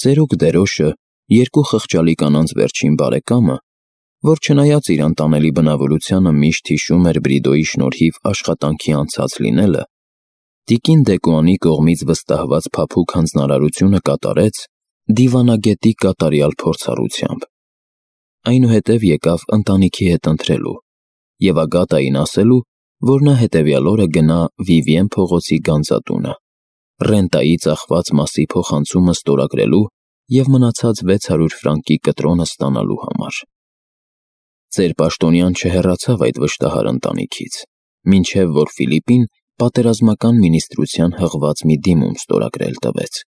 ծերուկ Դերոշը, երկու խղճալի կանանց վերջին բարեկամը, որ չնայած իր անտանելի բնավորությանը միշտ հիշում էր Բրիդոյի շնորհիվ աշխատանքի անցած լինելը, տիկին Դեկուանի կողմից վստահված փափուկ հանձնարարությունը կատարեց դիվանագետի կատարյալ փորձառությամբ։ Այնուհետև եկավ ընտանիքի հետ ընթրելու և Ագատային ասելու, որ նա հետևյալ օրը գնա Վիվիեն փողոցի գանձատունը, ռենտայի ծախված մասի փոխանցումը ստորագրելու և մնացած 600 ֆրանկի կտրոնը ստանալու համար։ Ծեր պաշտոնյան չհեռացավ այդ վշտահար ընտանիքից, մինչև որ Ֆիլիպին պատերազմական մինիստրության հղված մի դիմում ստորագրել տվեց,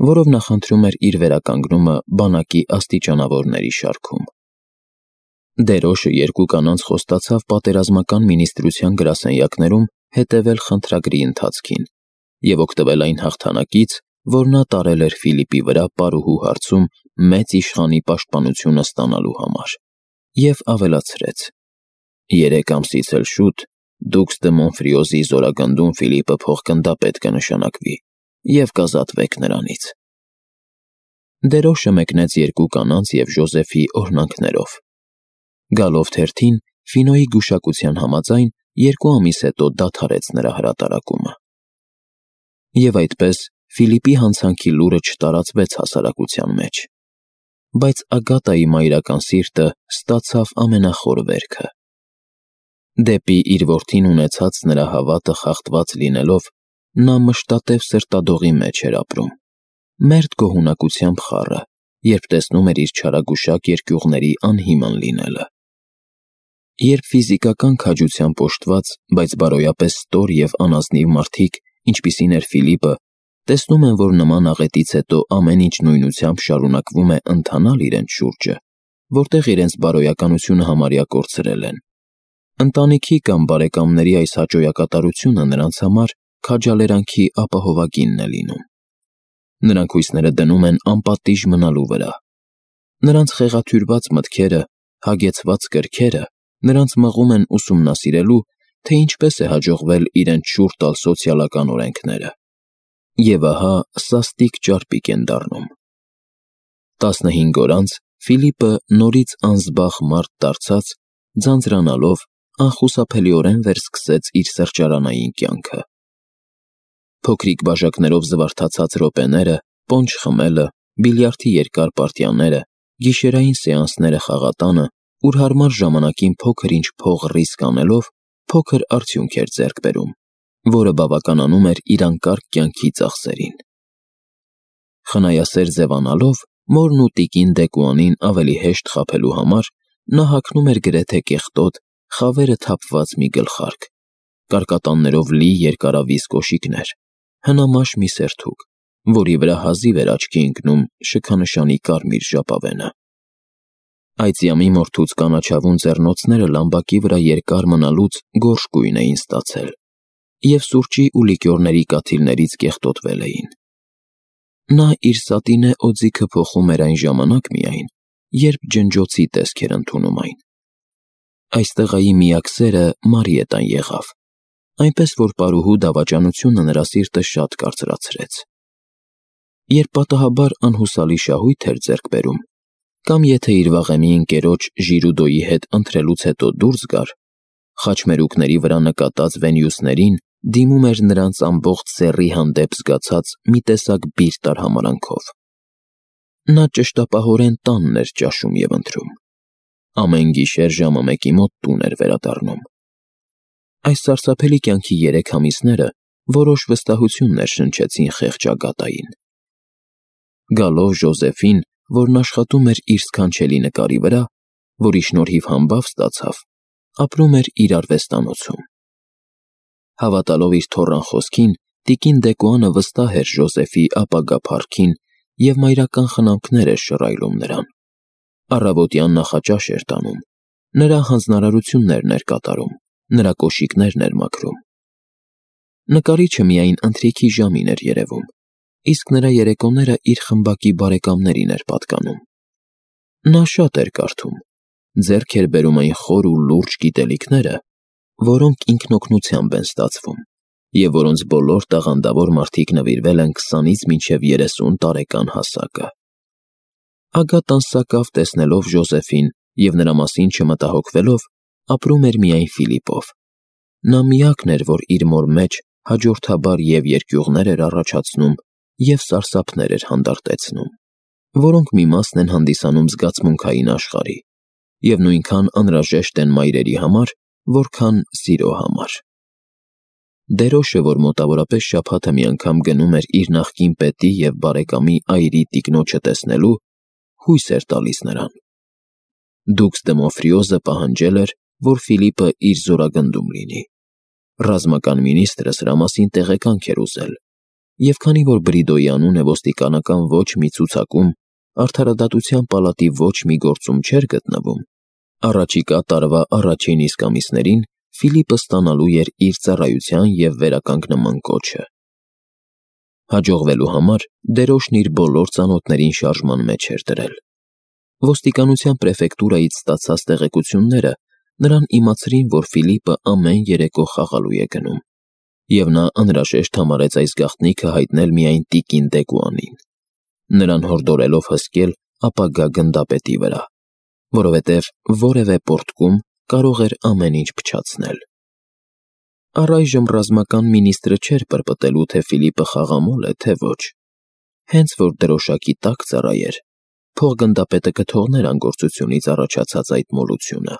որով նախընտրում էր իր վերականգնումը բանակի աստիճանավորների շարքում։ Դերոշը երկու կանանց խոստացավ պատերազմական մինիստրության գրասենյակներում հետևել խնդրագրի ընթացքին և օգտվել այն հաղթանակից, որ նա տարել էր Ֆիլիպի վրա պարուհու հարցում մեծ իշխանի պաշտպանությունը ստանալու համար, և ավելացրեց. 3 ամսից էլ շուտ դուքս դե Մոնֆրիոզի զորագնդում Ֆիլիպը փոխգնդապետ կնշանակվի և կազատվեք նրանից։ Դերոշը մեկնեց երկու կանանց և Ժոզեֆի օրհնանքներով։ Գալով թերթին, Ֆինոյի գուշակության համաձայն 2 ամիս հետո դադարեց նրա հրատարակումը։ Եվ այդպես Ֆիլիպի հանցանքի լուրը չտարածվեց հասարակության մեջ, բայց Ագատայի մայրական սիրտը ստացավ ամենախոր վերքը։ Դեպի իր որդին ունեցած նրա հավատը խախտված լինելով, նա մշտատև սրտադողի մեջ էր ապրում, մերթ գոհունակությամբ խառը, երբ տեսնում էր իր չարագուշակ երկյուղների անհիմն լինելը։ Երբ ֆիզիկական քաջությամբ օժտված, բայց բարոյապես ստոր և անազնիվ մարդիկ, ինչպիսին էր Ֆիլիպը, տեսնում են, որ նման աղետից հետո ամեն ինչ նույնությամբ շարունակվում է ընթանալ իրենց շուրջը, որտեղ իրենց բարոյականությունը համարյա կորցրել են, ընտանիքի կամ բարեկամների այս հաճոյակատարությունը նրանց համար քաջալերանքի ապահովագինն է լինում։ Նրանք հույսները դնում են անպատիժ մնալու վրա։ Նրանց խեղաթյուրված մտքերը, հագեցված կրքերը նրանց մղում են ուսումնասիրելու, թե ինչպես է հաջողվել իրենց շուռ տալ սոցիալական օրենքները։ Եվ ահա սաստիկ ճարպիկ են դառնում։ 15 օր անց Ֆիլիպը նորից անզբաղ մարդ դարձած, ձանձրանալով, անխուսափելիորեն վերսկսեց իր սրճարանային կյանքը։ Փոքրիկ բաժակներով զվարթացած րոպեները, պոնջ խմելը, բիլիարդի երկար պարտիաները, գիշերային սեանսները խաղատանը, ուր հարմար ժամանակին փոքր-ինչ փող ռիսկ անելով, փոքր արդյունք էր ձեռք բերում, որը բավականանում էր իր անկարգ կյանքի ծախսերին։ Խնայասեր ձևանալով, մորն ու տիկին Դեկուանին ավելի հեշտ խաբելու համար, նա հագնում էր գրեթե կեղտոտ, խավերը թափված մի գլխարկ, կարկատաններով լի երկարավիզ կոշիկներ, հնամաշ մի սերթուկ, որի վրա հազիվ էր աչքի ընկնում շքանշանի կարմիր ժապավենը։ Այծյամի մորթուց կանաչավուն ձեռնոցները լամբակի վրա երկար մնալուց գորշ գույն էին ստացել և սուրճի ու լիկյորների կաթիլներից կեղտոտվել էին։ Նա իր սատինե օձիքը փոխում էր այն ժամանակ միայն, երբ ջնջոցի տեսք էր ընդունում այն։ Այս տղայի միակ սերը Մարիետան եղավ, այնպես որ պարուհու դավաճանությունը նրա սիրտը շատ կարծրացրեց։ Երբ պատահաբար անհուսալի շահույթ էր ձեռք բերում, կամ եթե իր վաղեմի ընկերոջ Ժիրուդոյի հետ ընթրելուց հետո դուրս գար, խաչմերուկների վրա նկատած Վենիուսներին դիմում էր նրանց ամբողջ սեռի հանդեպ զգացած մի տեսակ բիրտ արհամարհանքով։ Նա ճշտապահորեն տանն էր ճաշում և ընթրում։ Ամեն գիշեր ժամը 1-ի մոտ տուն էր վերադառնում։ Այս սարսափելի կյանքի 3 ամիսները որոշ վստահություններ շնչեցին խեղճ Ագատային։ Գալով Ժոզեֆին, որն աշխատում էր իր սքանչելի նկարի վրա, որի շնորհիվ համբավ ստացավ, ապրում էր իր արվեստանոցում։ Հավատալով իր թոռան խոսքին, տիկին Դեկուանը վստահ էր Ժոզեֆի ապագա փառքին և մայրական խնամքներ էր շռայլում նրան։ Առավոտյան նախաճաշ էր տանում, նրա հանձնարարություններն էր կատարում, նրա կոշիկներն էր մաքրում։ Նկարիչը միայն ընթրիքի ժամին էր երևում, իսկ նրա երեկոները իր խմբակի բարեկամներին էր պատկանում։ Նա շատ էր կարդում, ձեռք էր բերում այն խոր ու լուրջ գիտելիքները, որոնք ինքնօգնությամբ են ստացվում, և որոնց բոլոր տաղանդավոր մարդիկ նվիրվել են 20-ից մինչև 30 տարեկան հասակը։ Ագատան սակավ տեսնելով Ժոզեֆին և նրա մասին չմտահոգվելով, ապրում էր միայն Ֆիլիպով։ Նա միակն էր, որ իր մոր մեջ հաջորդաբար և երկյուղներ էր առաջացնում, և սարսափներ էր հանդարտեցնում, որոնք մի մասն են հանդիսանում զգացմունքային աշխարհի, և նույնքան անհրաժեշտ են մայրերի համար, որքան սիրո համար։ Դերոշը, որ մոտավորապես շաբաթը մի անգամ գնում էր իր նախկին պետի և բարեկամի այրի տիկնոջը տեսնելու, հույս էր տալիս նրան։ Դուքս Դեմոֆրիոզը պահանջել էր, որ Ֆիլիպը իր զորագնդում լինի։ Ռազմական մինիստրը սրա մասին տեղեկանք էր ուզել, և քանի որ Բրիդոյի անունը ոստիկանական ոչ մի ցուցակում, արդարադատության պալատի ոչ մի գործում չէր գտնվում, առաջիկա տարվա առաջին իսկ ամիսներին Ֆիլիպը ստանալու էր իր ծառայության և վերականգնման կոչը։ Հաջողվելու համար Դերոշն իր բոլոր ծանոթներին շարժման մեջ էր դրել։ Ոստիկանության պրեֆեկտուրայից ստացած տեղեկությունները նրան իմացրին, որ Ֆիլիպը ամեն երեկո խաղալու է գնում, և նա անհրաժեշտ համարեց այս գաղտնիքը հայտնել միայն տիկին Դեգուանին, նրան հորդորելով հսկել ապագա գնդապետի վրա, որովհետև որևէ պոռթկում կարող էր ամեն ինչ փչացնել։ Առայժմ ռազմական մինիստրը չէր պրպտելու, թե Ֆիլիպը խաղամոլ է, թե ոչ։ Հենց որ դրոշակի տակ ծառայեր, փոխգնդապետը կթողներ անգործությունից առաջացած այդ մոլությունը։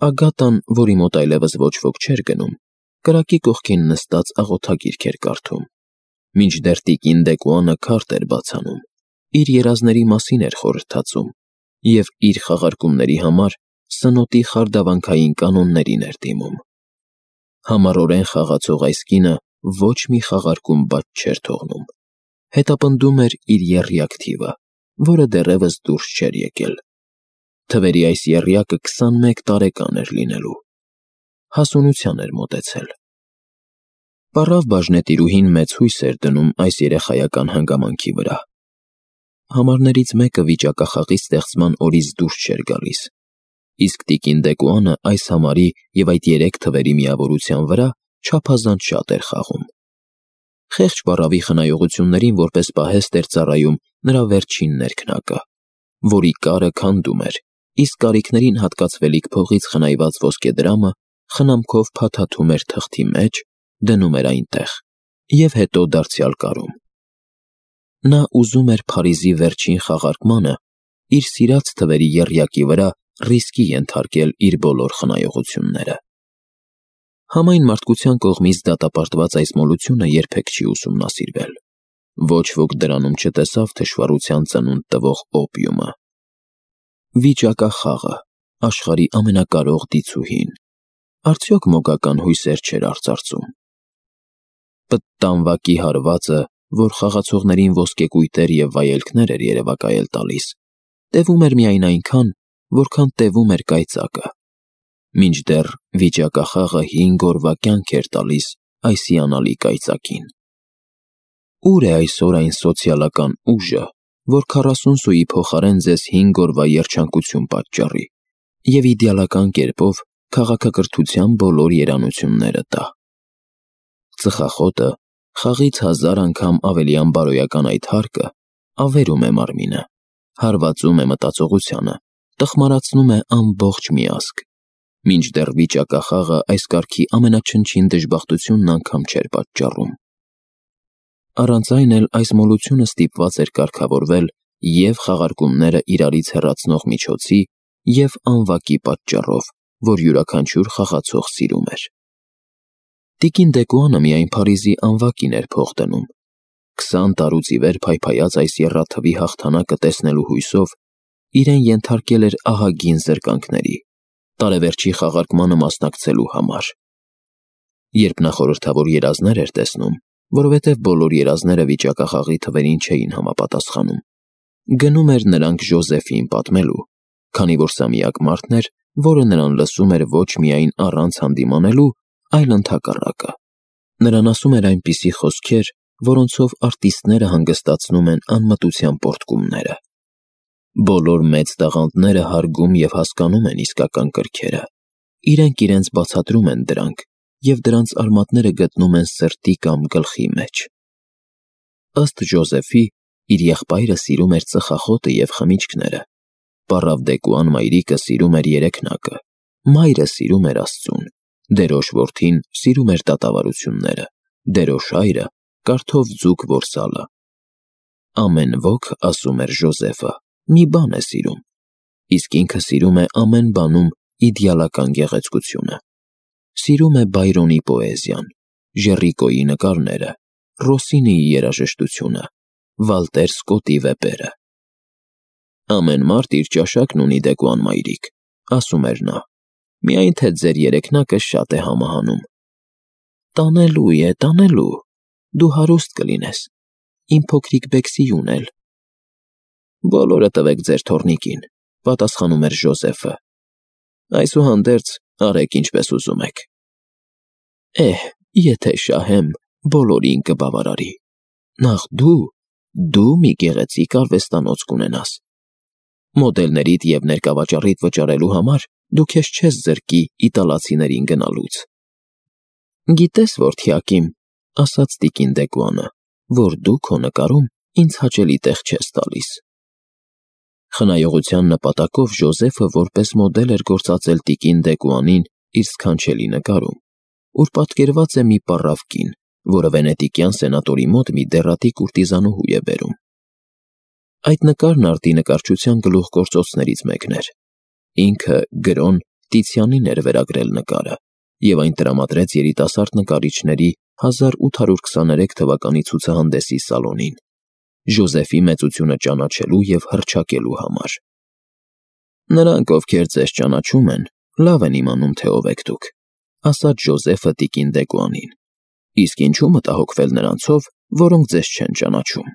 Ագատան, որի մոտ այլևս ոչ ոք չէր գնում, կրակի կողքին նստած աղոթագիրք էր կարդում, մինչդեռ տիկին Դեկուանը քարտ էր բացանում, իր երազների մասին էր խորհրդածում և իր խաղարկումների համար սնոտի խարդավանքային կանոններին էր դիմում։ Համառորեն խաղացող այս կինը ոչ մի խաղարկում բաց չէր թողնում, հետապնդում էր իր եռյակ թիվը, որը դեռևս դուրս չէր եկել։ Թվերի այս եռյակը 21 տարեկան էր լինելու։ Հասունության էր մոտեցել։ Պառավ բաժնետիրուհին մեծ հույս էր դնում այս երեխայական հանգամանքի վրա։ Համարներից մեկը վիճակախաղի ստեղծման օրից դուրս չէր գալիս, իսկ տիկին Դեկուանը այս համարի և այդ 3 թվերի միավորության վրա չափազանց շատ էր խաղում։ Խեղճ պառավի խնայողություններին որպես պահեստ էր ծառայում նրա վերջին ներքնակը, որի կարը քանդում էր, իսկ կարիքներին հատկացվելիք փողից խնայված ոսկեդրամը խնամքով փաթաթում էր թղթի մեջ, դնում էր այնտեղ և հետո դարձյալ կարում։ Նա ուզում էր Փարիզի վերջին խաղարկմանը իր սիրած թվերի եռյակի վրա ռիսկի ենթարկել իր բոլոր խնայողությունները։ Համայն մարդկության կողմից դատապարտված այս մոլությունը երբեք չի ուսումնասիրվել։ Ոչ ոք դրանում չտեսավ թշվառության ծնունդ տվող օպիումը։ Վիճակախաղը, աշխարհի ամենակարող դիցուհին, արդյոք մոգական հույսեր չէր արծարծում։ Պտտանվակի հարվածը, որ խաղացողներին ոսկեկույտեր և վայելքներ էր երևակայել տալիս, տևում էր միայն այնքան, որքան տևում էր կայծակը, մինչդեռ վիճակախաղը 5 օրվա կյանք էր տալիս այս հիանալի կայծակին։ Ուր է այսօր այն սոցիալական ուժը, որ 40 սուի փոխարեն ձեզ 5 օրվա երջանկություն պատճառի և իդեալական կերպով քաղաքակրթության բոլոր երանությունները տա։ Ծխախոտը, խաղից 1000 անգամ ավելի անբարոյական այդ հարկը, ավերում է մարմինը, հարվածում է մտածողությանը, տխմարացնում է ամբողջ միազգ, մինչդեռ վիճակախաղը այս կարգի ամենաչնչին դժբախտությունն անգամ չէր պատճառում։ Առանց այն էլ այս մոլությունը ստիպված էր կարգավորվել և խաղարկումները իրարից հեռացնող միջոցի և անվակի պատճառով, որ յուրաքանչյուր խաղացող սիրում էր։ Տիկին Դեկուանը միայն Փարիզի անվակին էր փող դնում, 20 տարուց ի վեր փայփայած այս եռաթվի հաղթանակը տեսնելու հույսով իրեն ենթարկել էր ահագին զրկանքների, տարեվերջի խաղարկմանը մասնակցելու համար։ Երբ նա խորհրդավոր երազներ էր տեսնում, որովհետև բոլոր երազները վիճակախաղի թվերին չէին համապատասխանում, գնում էր նրանք Ժոզեֆին պատմելու, քանի որ սա միակ մարդն էր, որը նրան լսում էր ոչ միայն առանց հանդիմանելու, այլ ընդհակառակը։ Նրան ասում էր այնպիսի խոսքեր, որոնցով արտիստները հանգստացնում են անմտության պոռթկումները։ Բոլոր մեծ տաղանդները հարգում և հասկանում են իսկական կրքերը, իրենք իրենց բացատրում են դրանք և դրանց արմատները գտնում են սրտի կամ գլխի մեջ։ Ըստ Ժոզեֆի, Իր եղբայրը սիրում էր ծխախոտը և խմիչքները, պառավ Դեկուան մայրիկը սիրում էր երեքնակը, մայրը սիրում էր Աստծուն, դերոշ որդին սիրում էր դատավարությունները, դերոշ հայրը կարթով ձուկ որսալը։ Ամեն ոք, ասում էր Ժոզեֆը, մի բան է սիրում, իսկ ինքը սիրում է ամեն բանում իդեալական գեղեցկությունը։ Սիրում է Բայրոնի պոեզիան, Ժեռիկոյի նկարները, Ռոսինիի երաժշտությունը, Վալտեր Սկոտի վեպերը։ Ամեն մարդ իր ճաշակն ունի, Դեկուան մայրիկ, ասում էր նա, միայն թե ձեր երեքնակը շատ է համահանում։ Տանելու է, տանելու, դու հարուստ կլինես, իմ փոքրիկ Բեքսիյուն էլ։ Բոլորը տվեք ձեր թոռնիկին, պատասխանում էր Ժոզեֆը։ Այսուհանդերձ, արեք ինչպես ուզում եք։ Եթե շահեմ, բոլորին կբավարարի։ Նախ դու մի գեղեցիկ արվեստանոց կունենաս։ Մոդելներիդ և ներկավաճառիդ վճարելու համար դու քեզ չես զրկի իտալացիներին գնալուց։ Գիտես, որդյակիմ, ասաց տիկին Դեկուանը, որ դու քո նկարում ինձ հաճելի տեղ չես տալիս։ Խնայողության նպատակով Ժոզեֆը որպես մոդել էր գործածել տիկին Դեկուանին իր սքանչելի նկարում, ուր պատկերված է մի պառավ կին, որը վենետիկյան սենատորի մոտ մի դեռատի կուրտիզանուհու է բերում։ Այդ նկարն արդի նկարչության գլուխգործոցներից մեկն էր։ Ինքը Գրոն Տիցիանին էր վերագրել նկարը և այն տրամադրեց երիտասարդ նկարիչների 1823 թվականի ցուցահանդեսի սալոնին, Ժոզեֆի մեծությունը ճանաչելու և հռչակելու համար։ Նրանք, ովքեր ձեզ ճանաչում են, լավ են իմանում, թե ով եք դուք, ասաց Ժոզեֆը տիկին Դեկուանին, իսկ ինչու մտահոգվել նրանցով, որոնք ձեզ չեն ճանաչում։